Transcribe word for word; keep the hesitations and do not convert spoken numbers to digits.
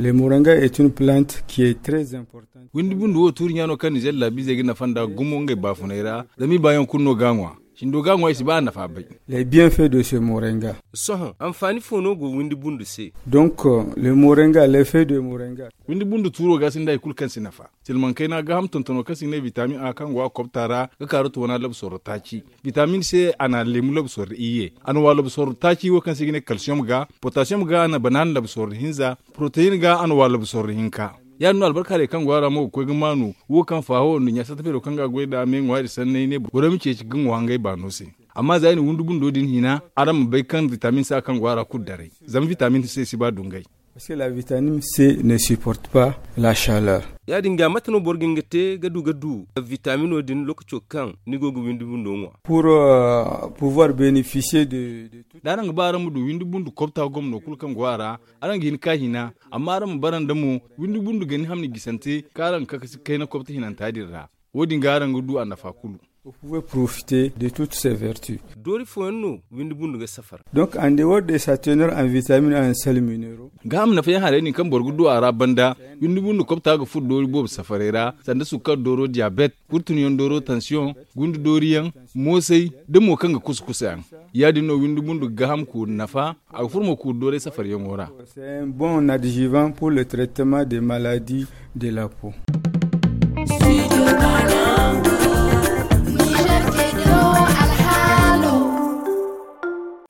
Le moringa est une plante qui est très importante. Windi bundu wo tuuri ɲaano kaŋ nizeer laabiizey ga nafa nda gumo ngey baafunay ra. Zama i baayaŋ kulu no ga a ŋwa. Cindo ga a ŋwa i si ba a nafa bay. Les bienfaits de ce moringa. Sohõ anfaani fo no go windi bundu se? Donc le moringa, l'effet de moringa. Windi bundu tuuro ga sinda hari kulu kaŋ si nafa. Silmaŋ kayna gaaham tontono kaŋ se i ga ne vitamin a kaŋ go a kobta ra ga kaaru toona labsorro taaci. Vitamin se a na leemu labsorro iyye, a na wa labsorro taaci wo kaŋ se i ga ne kalsiyom ga, potasiyom ga a na banaana labsorro hinza, poroteyin ga a na wa labsorro hinka. Ya- din no albarka day kaŋ go a ra mo ga koy ga maanu wo kaŋ faaho nduɲɲa satta feero kaŋ ga a goy nd'a me ŋwaari sanney ne borey ma ceeci ga ŋwa ngey baano se. Amma za i na windi bundo din hina, araŋ ma bay kaŋ vitamin se a kaŋ go a ra kulu daray. Zama vitamin se si ba dungay. Parce que la vitamine C ne supporte pas la chaleur. Ya- din ga mate no boro ga hin ga te ga du ga du vitamino din lokaco kaŋ ni go ga windi bundo ŋwa? Pour pouvoir bénéficier de. Da araŋ ga ba araŋ ma du windi bundu kobta gomno kulu kaŋ go a ra, araŋ ga hin ka hina. Amma araŋ ma bara nda mo windi bundu ga ni hamni gisante kaŋ araŋ ga kakasi kayna kobta hinanta din ra. Wo- din ga araŋ ga du a nafa kulu. Vous pouvez profiter de toutes ces vertus. Doori fooyaŋ no windi bundu ga safar. Donc en dehors de sa teneur en vitamine en sel minéraux. Gaaham nafayaŋ haray din kaŋ boro ga du a ra banda, windi bundu kobta ga furo doori boobo safaray ra sanda sukkar dooro diyabet, kurtunyaŋ dooro tansiyoŋ, gundu dooriyaŋ, moosay, da mo kaŋ ga kusa kusayaŋ. Ya- din no windi bundu ga gaaham kuuri nafa. A ga furo mo kuuri doorey safaryaŋo ra. C'est un bon adjuvant pour le traitement des maladies de la peau.